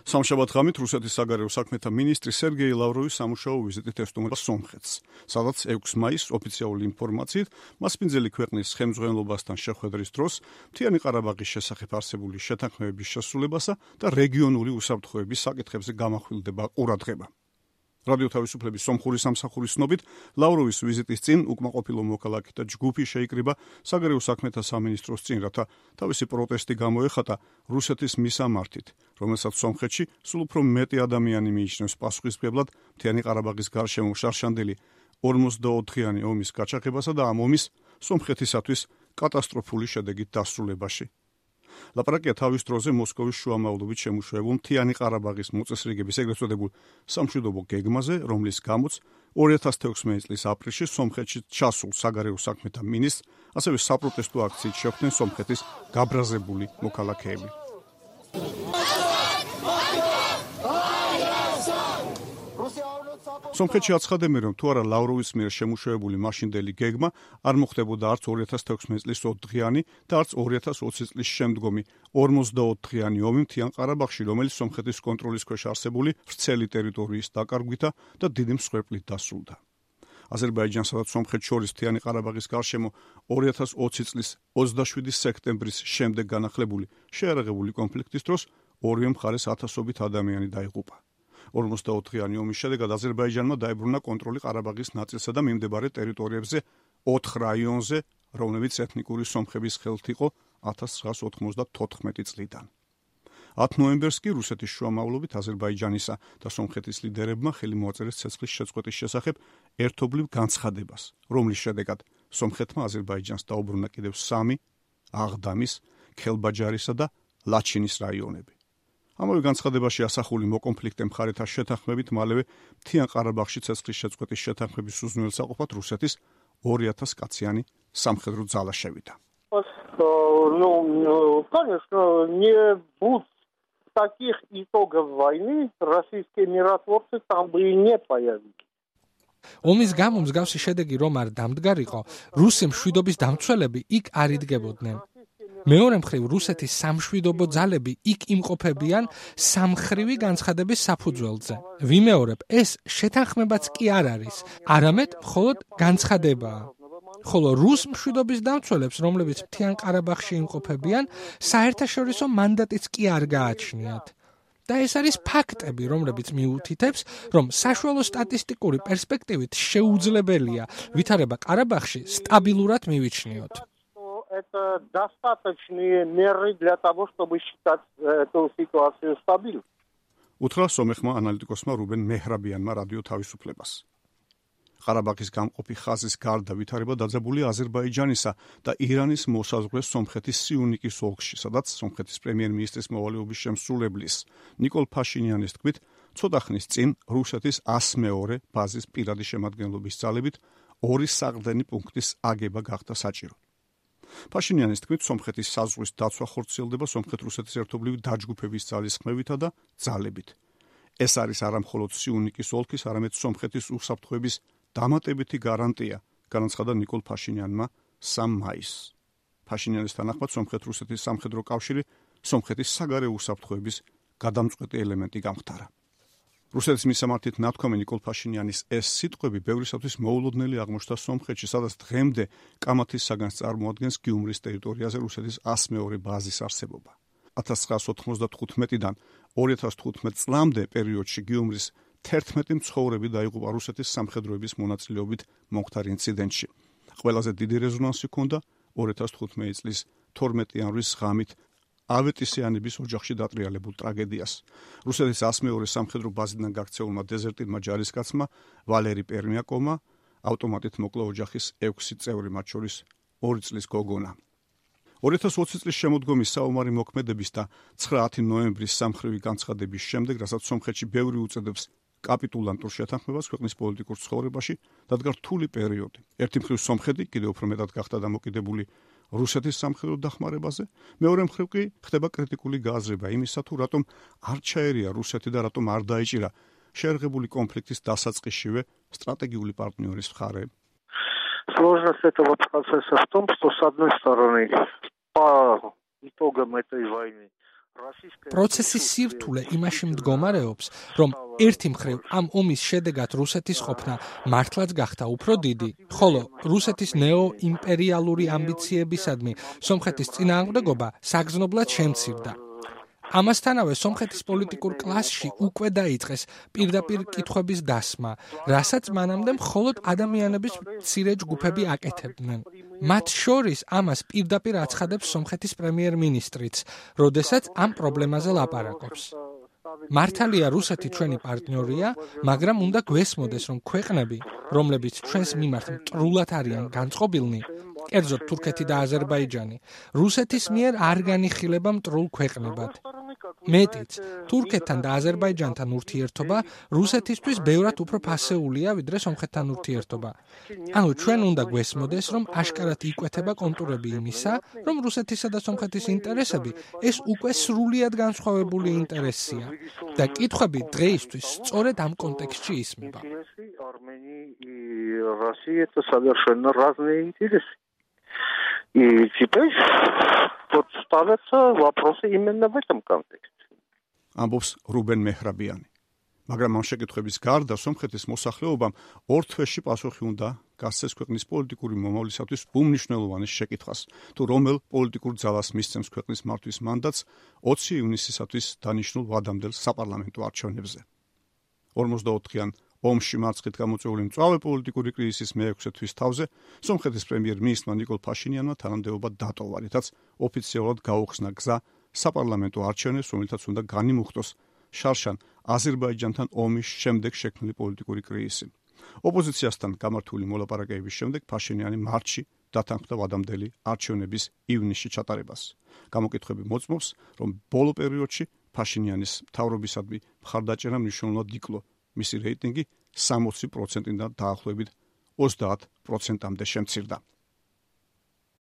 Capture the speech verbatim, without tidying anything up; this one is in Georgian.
სამშაბათ ღამით რუსეთის საგარეო საქმეთა მინისტრი სერგეი ლავროვი სამუშაო ვიზიტით ესტუმრა სომხეთს, სადაც ექვსი მაისს ოფიციალური ინფორმაციით მასპინძელი ქვეყნის ხელმძღვანელობასთან შეხვედრის დროს მთიანი ყარაბაღის შესახებ არსებული შეთანხმებების შესრულებასა და რეგიონული უსაფრთხოების საკითხებზე გამახვილდება ყურადღება. რადიო თავისუფლების სომხური სამსახურის ცნობით, ლავროვის ვიზიტის წინ უკმაყოფილო მოქალაქე და ჯგუფი შეიკრიბა საგარეო საქმეთა სამინისტროს წინ, რათა თავისი პროტესტი გამოეხატა რუსეთის მისამართით, რომელსაც სომხეთში სულ უფრო მეტი ადამიანი მიიჩნევს პასუხისმგებლად მთიანი ყარაბაღის გარშემო შარშანდელი ორმოცდაოთხიანი ომის გაჩაღებასა და ამ ომის სომხეთისათვის კატასტროფული შედეგით დასრულებაში. ლაპარაკია თავის დროზე მოსკოვის შუამავლობით შემუშავებულ მთიანი ყარაბაღის მოწესრიგების ეგრეთ წოდებულ სამშვიდობო გეგმაზე, რომლის გამოც ორი ათას თექვსმეტი წლის აპრილში სომხეთში ჩასულ საგარეო საქმეთა მინისტრს, ასევე საპროტესტო აქციით შეხვდნენ სომხეთის გაბრაზებული მოქალაქეები. სომხეთში აცხადებენ, რომ თუ არა ლავროვის მიერ შემუშავებული მაშინდელი გეგმა არ მოხდებოდა არც ორი ათას თექვსმეტი წლის ოთხდღიანი და არც ორი ათას ოცი წლის შემდგომი ორმოცდაოთხიანი ომი მთიან ყარაბაღში, რომელიც სომხეთის კონტროლის ქვეშ არსებული ვრცელი ტერიტორიის დაკარგვითა და დიდი მსხვერპლით დასრულდა. აზერბაიჯანსა და სომხეთს შორის მთიანი ყარაბაღის გარშემო ორი ათას ოცი წლის ოცდაშვიდი სექტემბრის შემდეგ განახლებული შეიარაღებული კონფლიქტის დროს ორივე მხარეს ათასობით ადამიანი დაიღუპა. ორმოცდაოთხიანი ომის შედეგად აზერბაიჯანმა დაებრუნა კონტროლი ყარაბაღის ნაწილსა და მიმდებარე ტერიტორიებზე ოთხ რაიონზე, რომლებიც ეთნიკური სომხების ხელთ იყო ათას ცხრაას ოთხმოცდათოთხმეტი წლიდან. ათი ნოემბერს კი რუსეთის შუამავლობით აზერბაიჯანისა და სომხეთის ლიდერებმა ხელი მოაწერეს ცეცხლის შეწყვეტის შესახებ ერთობლივ განცხადებას, რომლის შედეგად სომხეთმა აზერბაიჯანს დაუბრუნა კიდევ სამი აღდამის, ქელბაჯარისა და ლაჩინის რაიონები. ამავე განცხადებაში ასახული მოკონფლიქტე მხარეთა შეთანხმებით მალევე მთიან ყარაბაღში ცეცხლის შეწყვეტის შეთანხმების უზრუნველსაყოფად რუსეთის ორი ათას კაციანი სამხედრო ძალა შევიდა. Ну, конечно, не будет таких итогов войны, российские миротворцы там бы и не появились. ომის გამო მსგავსი შედეგი რომ არ დამდგარიყო, რუსი მშვიდობის დამცველები იქ არ იდგებოდნენ. მეორე მხრივ რუსეთის სამშვიდობო ძალები იქ იმყოფებიან სამხრივი განცხადების საფუძველზე. ვიმეორებ, ეს შეთანხმებაც კი არ არის, არამედ მხოლოდ განცხადებაა. ხოლო რუს მშვიდობის დამცველებს, რომლებიც მთიან ყარაბაღში იმყოფებიან, საერთაშორისო მანდატიც კი არ გააჩნიათ. და ეს არის ფაქტები, რომლებიც მიუთითებს, რომ საშუალო სტატისტიკური პერსპექტივით შეუძლებელია ვითარება ყარაბაღში სტაბილურად მივიჩნიოთ. Это достаточные меры для того, чтобы считать эту ситуацию стабильной. უთხრა სომეხმა ანალიტიკოსმა რუბენ მეჰრაბიანმა რადიო თავისუფლებას. ყარაბაღის გამყოფი ხაზის გარდა ვითარება დაძაბულია აზერბაიჯანისა და ირანის მოსაზღვრე სომხეთის სიუნიკის ოლქში, სადაც სომხეთის პრემიერ-მინისტრის მოვალეობის შემსრულებლის ნიკოლ ფაშინიანის თქმით, ცოტა ხნის წინ რუსეთის ას მეორე ბაზის პირადი შემადგენლობის ძალებით ორი საყრდენი პუნქტის აგება გახდა საჭირო. ფაშინიანის თქმით, სომხეთის საზღვრის დაცვა ხორციელდება სომხეთ-რუსეთის ერთობლივი დაჯგუფების ძალისხმევითა და ძალებით. ეს არის არა მხოლოდ სიუნიკის ოლქის, არამედ სომხეთის უსაფრთხოების დამატებითი გარანტია, განაცხადა ნიკოლ ფაშინიანმა სამი მაისს. ფაშინიანის თანახმად სომხეთ-რუსეთის სამხედრო კავშირი სომხეთის საგარეო უსაფრთხოების გადამწყვეტი ელემენტი გამხდარა. რუსეთის მისამართით ნათქვამი ნიკოლ ფაშინიანის ეს სიტყვები ბევრისათვის მოულოდნელი აღმოჩნდა სომხეთში, სადაც დღემდე კამათის საგანს წარმოადგენს გიუმრის ტერიტორიაზე რუსეთის ას მეორე ბაზის არსებობა. ათას ცხრაას ოთხმოცდათხუთმეტიდან ორი ათას თხუთმეტ წლამდე პერიოდში გიუმრის თერთმეტი მცხოვრები დაიღუპა რუსეთის სამხედროების მონაწილეობით მომხდარ ინციდენტში. ყველაზე დიდი რეზონანსი ჰქონდა ორი ათას თხუთმეტი წლის თორმეტი იანვრის ღამით ავეტისიანების ოჯახში დატრიალებულ ტრაგედიას. რუსეთის ას მეორე სამხედრო ბაზიდან გაქცეულმა დეზერტირმა ჯარისკაცმა ვალერი პერმიაკოვმა ავტომატით მოკლა ოჯახის ექვსი წევრი, მათ შორის ორი წლის გოგონა. ორი ათას ოცი წლის შემოდგომის საომარი მოქმედების და ცხრა ნოემბრის სამხრივი განცხადების შემდეგ, რასაც სომხეთში ბევრი უწოდებს კაპიტულანტურ შეთანხმებას ქვეყნის პოლიტიკურ ცხოვრებაში, დადგა რთული პერიოდი. ერთი მხრივ სომხეთი კიდევ უფრო მეტად გახდა დამოკიდებული რუსეთის სამხედრო დახმარებაზე, მეორე მხრივ კი ხდება კრიტიკული გააზრება იმისა, თუ რატომ არ ჩაერია რუსეთი და რატომ არ დაიჭირა შეერღებული კონფლიქტის დასაწყისშივე стратегический партнёрис в Харе. Сложность этого процесса в том, что с одной стороны по итогам этой войны პროცესის სირთულე იმაში მდგომარეობს, რომ ერთი მხრივ ამ ომის შედეგად რუსეთის ყოფნა მართლაც გახდა უფრო დიდი, ხოლო რუსეთის ნეოიმპერიალური ამბიციებისადმი სომხეთის წინააღმდეგობა საგრძნობლად შემცირდა. ამასთანავე სომხეთის პოლიტიკურ კლასში უკვე დაიწყეს პირდაპირ კითხვების დასმა, რასაც მანამდე მხოლოდ ადამიანების მცირე ჯგუფები აკეთებდნენ. მათ შორის ამას პირდაპირ აცხადებს სომხეთის პრემიერ-მინისტრიც, როდესაც ამ პრობლემაზე ლაპარაკობს. მართალია რუსეთი ჩვენი პარტნიორია, მაგრამ უნდა გვესმოდეს, რომ ქვეყნები, რომლებიც ჩვენს მიმართ მტრულად არიან განწყობილნი, კერძოდ თურქეთი და აზერბაიჯანი, რუსეთის მიერ არ განიხილება მტრულ ქვეყნებად. მეტიც, თურქეთთან და აზერბაიჯანთან ურთიერთობა რუსეთისთვის ბევრად უფრო ფასეულია, ვიდრე სომხეთთან ურთიერთობა. ანუ ჩვენ უნდა გვესმოდეს, რომ აშკარად იკვეთება კონტურები იმისა, რომ რუსეთისა და სომხეთის ინტერესები ეს უკვე სრულიად განსხვავებული ინტერესია და კითხვები დღეისთვის სწორედ ამ კონტექსტში ისმება. И теперь вот ставятся вопросы именно в этом контексте. ამბობს რუბენ მეჰრაბიანი. მაგრამ ამ შეკითხვების გარდა სომხეთის მოსახლეობამ ორ თვეში პასუხი უნდა გასცეს ქვეყნის პოლიტიკური მომავლისათვის უმნიშვნელოვანეს შეკითხვას, თუ რომელ პოლიტიკურ ძალას მისცემს ქვეყნის მართვის მანდატს ოცი ივნისისათვის დანიშნულ ვადამდელ საპარლამენტო არჩევნებზე. ორმოცდაოთხიან ომში მარცხით გამოწვეული მწვავე პოლიტიკური კრიზისის მეექვსე თვის თავზე სომხეთის პრემიერ-მინისტრმა ნიკოლ ფაშინიანმა თანამდებობა დატოვა, რითაც ოფიციალურად გაუხსნა გზა საპარლამენტო არჩევნებს, რომელთაც უნდა განიმუხტოს შარშან აზერბაიჯანთან ომის შემდეგ შექმნილი პოლიტიკური კრიზისი. ოპოზიციასთან გამართული მოლაპარაკებების შემდეგ ფაშინიანი მარტში დათანხმდა ვადამდელი არჩევნების ივნისში ჩატარებას. გამოკითხვები მოწმობს, რომ ბოლო პერიოდში ფაშინიანის მთავრობისადმი მხარდაჭერა მნიშვნელოვნად იკლო. მისი რეიტინგი სამოცი პროცენტიდან დაახლოებით ოცდაათ პროცენტამდე შემცირდა.